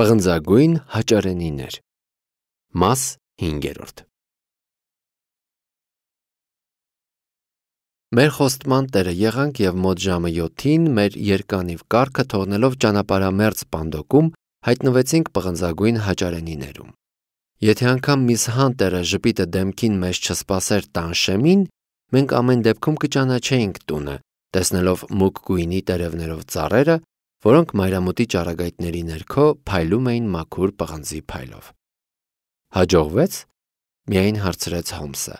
Պղնձագույն հաճարենիներ։ Մաս 5. Մեր խոստման տերը եղանք և մոտ ժամը 7-ին մեր երկանիվ կառքը թողնելով ճանապարհամերձ Պանդոկում հայտնվեցինք պղնձագույն հաճարենիներում։ Եթե անգամ Միս Հանտերը ժպիտը դեմքին մեզ չսպասեր տանշեմին, մենք ամեն դեպքում կճանաչեինք տունը, տեսնելով մուգ գույնի տերևներով ծառերը, որոնք մայրամուտի ճառագայթների ներքո փայլում էին մաքուր պղնձի փայլով։ Հաջողվե՞ց, միայն հարցրեց Հոմսը։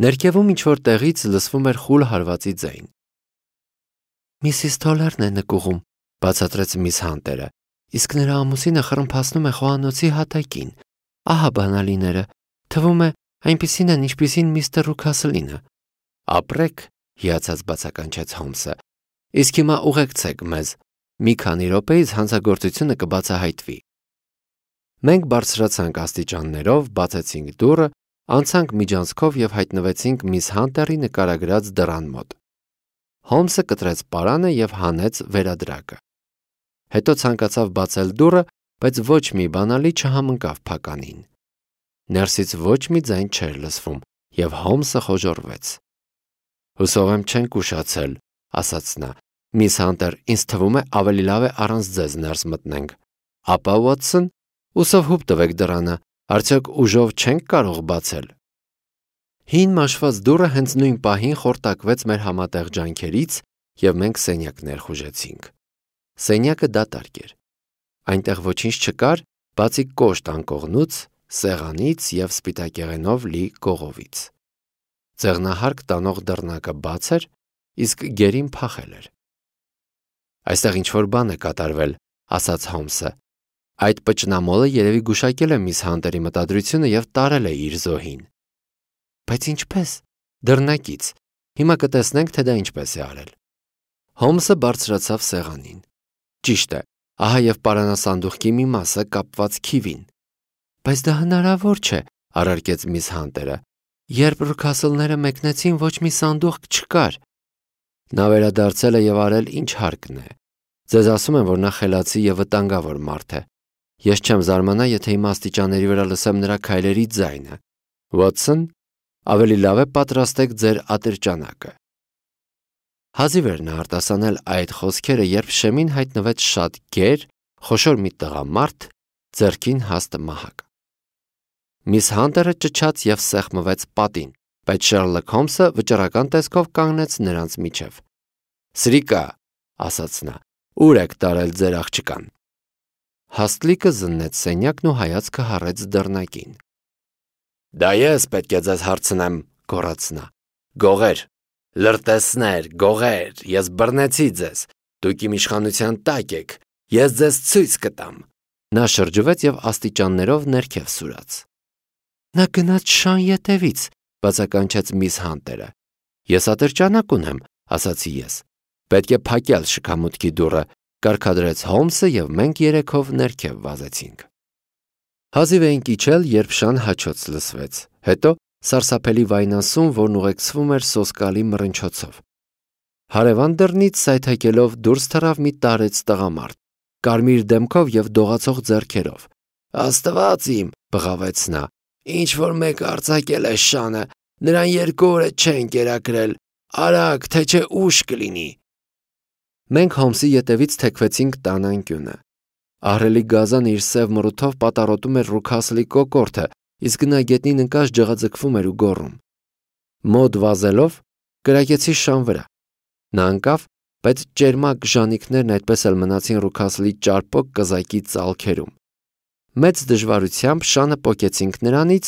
Ներքևում ինչ-որ տեղից լսվում էր խուլ հարվածի ձայն։ Միսիս Թոլերն է նկուղում, բացատրեց Միս Հանտերը, իսկ նրա ամուսինը խռմփացնում է խոհանոցի հատակին։ Ահա բանալիները, թվում է այնպիսին են, ինչպիսին միստր Ռուքասլինը։ Ապրեք, հիացած բացականչեց Հոմսը, իսկ հիմա ուղեկցեք մեզ, մի քանի րոպեից հանցագործությունը կբացահայտվի։ Մենք բարձրացանք աստիճաններով, բացեցինք դուռը, անցանք միջանցքով և հայտնվեցինք Միս Հանտերի նկարագրած դռան մոտ։ Հոմսը կտրեց պարանը և հանեց վերադրակը։ Հետո ցանկացավ բացել դուռը, բայց ոչ մի բանալի չհամընկավ փականին։ Ներսից ոչ մի ձայն չէր լսվում, և Հոմսը խոժոռվեց։ Հուսով եմ չենք ուշացել, ասաց նա։ Միս Հանտեր, ինձ թվում է ավելի լավ է առանց ձեզ ներս մտնենք։ Ապա Ուոտսոն, ուսով հուպ տվեք դռանը, արդյոք ուժով չենք կարող բացել։ Հին մաշված դուռը հենց նույն պահին խորտակվեց մեր համատեղ ջանքերից, և մենք սենյակ ներխուժեցինք։ Սենյակը դատարկ էր։ Այնտեղ ոչինչ չկար, բացի կոշտ անկողնուց, սեղանից և սպիտակեղենով լի կողովից։ Ձեղնահարկ տանող դռնակը բաց էր, իսկ գերին փախել էր։ Այստեղ ինչ-որ բան է կատարվել, ասաց Հոմսը։ Այդ պճնամոլը երևի գուշակել է Միս Հանտերի մտադրությունը և տարել է իր զոհին։ Բայց ինչպես։ Դռնակից։ Հիմա կտեսնենք, թե դա ինչպես է արել։ Հոմսը բարձրացավ սեղանին։ Ճիշտ է, ահա և պարանասանդուղքի մի մասը կապված քիվին։ Բայց դա հնարավոր չէ, առարկեց Միս Հանտերը։ Երբ Ռուքասլները մեկնեցին, ոչ մի սանդուղք չկար։ Նա վերադարձել է և արել ինչ հարկն է։ Ձեզ ասում եմ, որ նա խելացի և վտանգավոր մարդ է։ Ես չեմ զարմանա, եթե հիմա աստիճանների վրա լսեմ նրա քայլերի ձայնը։ Ուոտսոն, ավելի լավ է պատրաստեք ձեր ատրճանակը։ Հազիվ էր նա արտասանել այդ խոսքերը, երբ շեմին հայտնվեց շատ գեր, խոշոր մի տղամարդ, ձեռքին հաստ մահակ։ Միս Հանտերը ճչաց և սեղմվեց պատին, բայց Շերլոք Հոմսը վճռական տեսքով կանգնեց նրանց միջև։ Սրիկա, ասաց նա, ուր եք տարել ձեր աղջկան։ Հաստլիկը զննեց սենյակն ու հայացքը հառեց դռնակին։ Դա ես պետք է ձեզ հարցնեմ, գոռաց նա։ Գողեր, լրտեսներ, գողեր, ես բռնեցի ձեզ, դուք իմ իշխանության տակ եք, ես ձեզ ցույց կտամ։ Նա շրջվեց և աստիճաններով ներքև սուրաց։ Նա գնաց շան ետևից, բացականչեց Միս Հանտերը։ Ես ատրճանակ ունեմ, ասացի ես։ Պետք է փակել շքամուտքի դուռը, կարգադրեց Հոմսը, և մենք երեքով ներքև վազեցինք։ Հազիվ էինք իջել, երբ շան հաչոց լսվեց, հետո սարսափելի վայնասուն, որն ուղեկցվում էր սոսկալի մռնչոցով։ Հարևան դռնից սայթաքելով դուրս թռավ մի տարեց տղամարդ, կարմիր դեմքով և դողացող ձեռքերով։ Աստված իմ, բղավեց նա, ինչ-որ մեկը արձակել է շանը, նրան 2 օր է չեն կերակրել, արագ, թե չէ ուշ կլինի։ Մենք Հոմսի ետևից թեքվեցինք տան անկյունը։ Ահռելի գազան իր սև մռութով պատառոտում էր Ռուքասլի կոկորդը, իսկ նա գետնին ընկած ջղաձգվում էր ու գոռում։ Մոտ վազելով կրակեցի շան վրա։ Նա ընկավ, բայց ճերմակ ժանիքներն այդպես էլ մնացին Ռուքասլի ճարպոկ կզակի ծալքերում։ Մեծ դժվարությամբ շանը պոկեցինք նրանից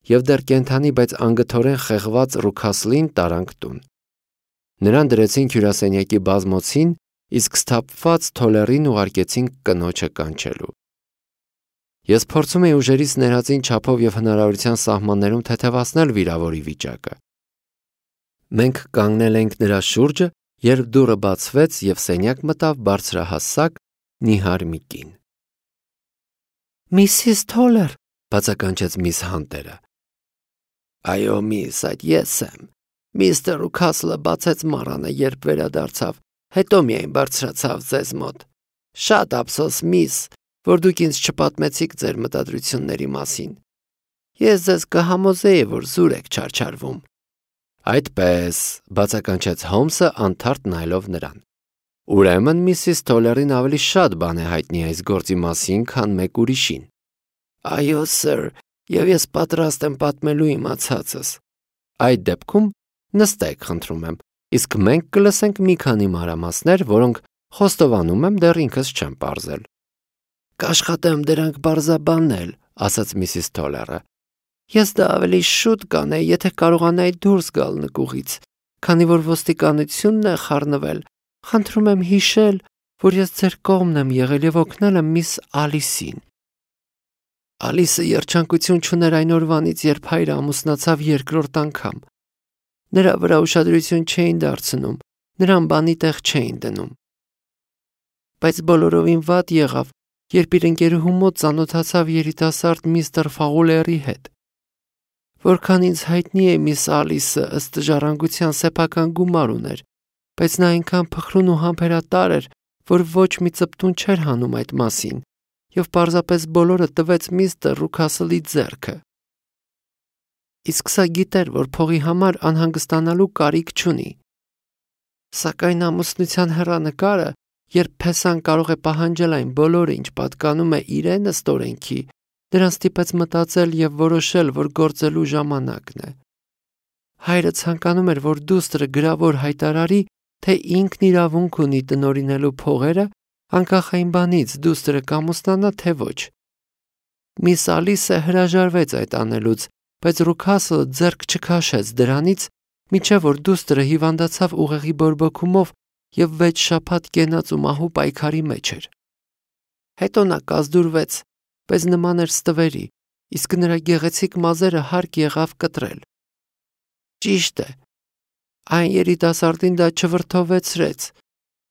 և դեռ կենդանի, բայց անգթորեն խեղված Ռուքասլին տարանք տուն։ Նրան դրեցինք հյուրասենյակի բազմոցին, իսկ սթափված Թոլերին ուղարկեցինք կնոջը կանչելու։ Ես փորձում էի ուժերից ներածին չափով և հնարավորության սահմաններում թեթևացնել վիրավորի վիճակը։ Մենք կանգնել էինք նրա շուրջը, երբ դուռը բացվեց և սենյակ մտավ բարձրահասակ, նիհար մի կին։ Միսիս Թոլեր, բացականչեց Միս Հանտերը։ Այո, միս, այդ ես եմ։ Միստր Ռուքասլը բացեց մառանը, երբ վերադարձավ, հետո միայն բարձրացավ ձեզ մոտ։ Շատ ափսոս, միս, որ դուք ինձ չպատմեցիք ձեր մտադրությունների մասին։ Ես ձեզ կհամոզեի, որ զուր եք չարչարվում։ Այդպես, բացականչեց Հոլմսը անթարթ նայելով նրան։ Ուրեմն Միսիս Թոլերին ավելի շատ բան է հայտնի այս գործի մասին, քան մեկ ուրիշին։ Այո, սըր, եւ ես պատրաստ եմ պատմելու իմացածս։ Այդ դեպքում նստեք, խնդրում եմ, իսկ մենք կլսենք մի քանի մանրամասներ, որոնք խոստովանում եմ դեռ ինքս չեմ պարզել։ Կաշխատեմ դրանք պարզաբանել, ասաց Միսիս Թոլերը։ Ես դա ավելի շուտ կանեի, եթե կարողանայի դուրս գալ նկուղից, քանի որ ոստիկանությունն է խառնվել։ Խնդրում եմ հիշել, որ ես ձեր կողմն եմ եղել եւ օգնել եմ միս Ալիսին։ Ալիսը երջանկություն չուներ այն օրվանից, երբ հայրը ամուսնացավ երկրորդ անգամ։ Նրա վրա ուշադրություն չէին դարձնում, նրան բանի տեղ չէին դնում։ Բայց բոլորովին վատ եղավ, երբ իր ընկերուհու մոտ ծանոթացավ երիտասարդ միստր Ֆաուլերի հետ։ Որքան ինձ հայտնի է, միս Ալիսը ըստ ժառանգության սեփական գումար ուներ, բայց նա այնքան փխրուն ու համբերատար էր, որ ոչ մի ծպտուն չէր հանում այդ մասին, եւ պարզապես բոլորը տվեց միստր Ռուքասլի ձեռքը։ Իսկ սա գիտեր, որ փողի համար անհանգստանալու կարիք չունի։ Սակայն ամուսնության հեռանկարը, երբ Փեսան կարող է պահանջել այն բոլորը, ինչ պատկանում է իրեն ըստ օրենքի, նրան ստիպեց մտածել եւ որոշել, որ գործելու ժամանակն է։ Հայրը ցանկանում էր, որ դուստրը գրավոր հայտարարի, թե ինքն իրավունք ունի տնօրինելու փողերը, անկախ այն բանից դուստրը կամուսնանա թե ոչ։ Միս Ալիսը հրաժարվեց այդ անելուց, բայց Ռուքասլը ձեռք չքաշեց դրանից, մինչև որ դուստրը հիվանդացավ ուղեղի բորբոքումով եւ 6 շաբաթ կենաց ու մահու պայքարի մեջ էր։ Հետո նա կազդուրվեց, բայց նման էր ստվերի, իսկ նրա գեղեցիկ մազերը հարկ եղավ կտրել։ Ճիշտ է, այն երիտասարդին դա չվրդովեցրեց։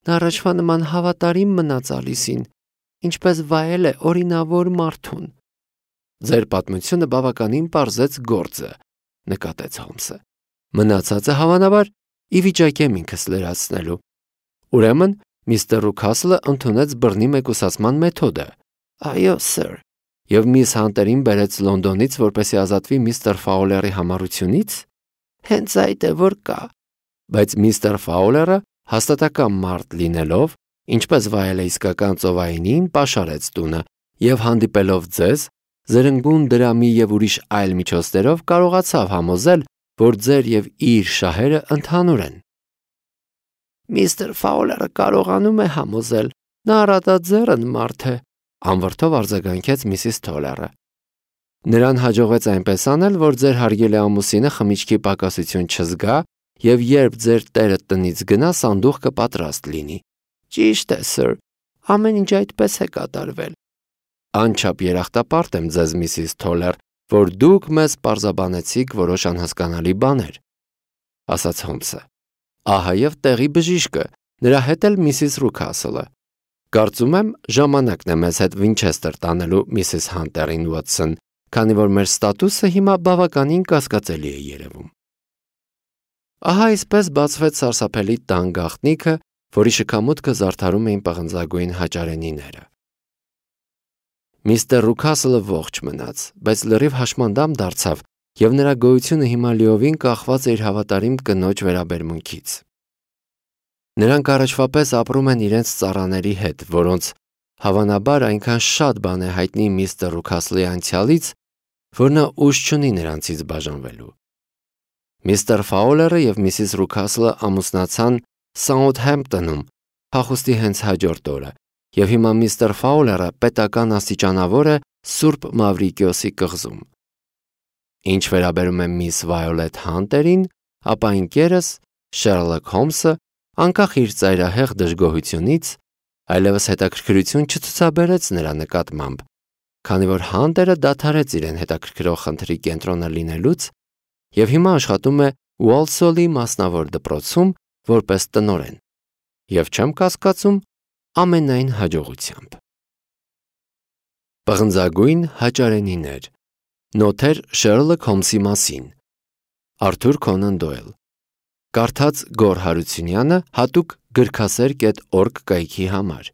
Նա առաջվա նման հավատարիմ մնաց Ալիսին, ինչպես վայել է օրինավոր մարդուն։ Ձեր պատմությունը բավականին պարզեց գործը, նկատեց Հոլմսը։ Մնացածը հավանաբար ի վիճակի եմ ինքս լրացնելու։ Ուրեմն միստր Ռուքասլը ընդունեց բռնի մեկուսացման մեթոդը։ Այո, սըր։ Եվ միս Հանտերին բերեց Լոնդոնից, որպեսզի ազատվի միստր Ֆաուլերի համառությունից։ Հենց այդ է, որ կա։ Բայց միստր Ֆաուլերը հաստատակամ մարդ լինելով, ինչպես վայել է իսկական ծովայինին, պաշարեց տունը եւ հանդիպելով ձեզ, զրնգուն դրամի եւ ուրիշ այլ միջոցներով կարողացավ համոզել, որ ձեր եւ իր շահերը ընդհանուր են։ Միստր Ֆաուլերը կարողանում է համոզել, նա առատաձեռն մարդ է, անվրդով արձագանքեց Միսիս Թոլերը։ Նրան հաջողվեց այնպես անել, որ ձեր հարգելի ամուսինը խմիչքի պակասություն չզգա եւ երբ ձեր տերը տնից գնա, սանդուղքը պատրաստ լինի։ Ճիշտ է, սըր, ամեն ինչ այդպես է կատարվել։ Անչափ երախտապարտ եմ ձեզ, Միսիս Թոլեր, որ դուք մեզ պարզաբանեցիք որոշ անհասկանալի բաներ, ասաց Հոլմսը։ Ահա եւ տեղի բժիշկը, նրա հետ էլ Միսիս Ռուքասլը։ Կարծում եմ, ժամանակն է մեզ հետ Վինչեսթեր տանելու Միսիս Հանտերին, Ուոտսոն, քանի որ մեր ստատուսը հիմա բավականին կասկածելի է երևում։ Ահա այսպես բացվեց սարսափելի տան գաղտնիքը, որի շքամուտքը զարդարում էին պղնձագույն հաճարենիները։ Միստր Ռուքասլը ողջ մնաց, բայց լրիվ հաշմանդամ դարձավ, եւ նրա գոյությունը հիմա լիովին կախված է իր հավատարիմ կնոջ վերաբերմունքից։ Նրանք առաջվա պես ապրում են իրենց ծառաների հետ, որոնց հավանաբար այնքան շատ բան է հայտնի միստր Ռուքասլի անցյալից, որ նա ուժ չունի նրանցից բաժանվելու։ Միստր Ֆաուլերը եւ Միսիս Ռուքասլը ամուսնացան Սաութհեմպտոնում փախուստի հենց հաջորդ օրը, եւ հիմա միստր Ֆաուլերը պետական աստիճանավոր է Սուրբ Մավրիկիոսի կղզում։ Ինչ վերաբերում է միս Վայոլետ Հանտերին, ապա ընկերս Շերլոք Հոլմսը, անկախ իր ծայրահեղ դժգոհությունից, այլևս հետաքրքրություն չցուցաբերեց նրա նկատմամբ, քանի որ Հանտերը դադարեց իրեն հետաքրքրող խնդրի կենտրոնը լինելուց եւ հիմա աշխատում է Ուոլսոլի մասնավոր դպրոցում որպես տնօրեն, եւ չեմ կասկածում ամենայն հաջողությամբ։ Պղնձագույն հաճարենիներ։ Նոթեր Շերլոք Հոլմսի մասին։ Արթուր Քոնան Դոյլ։ Կարդաց Գոր Հարությունյանը հատուկ գրքասեր.org կայքի համար։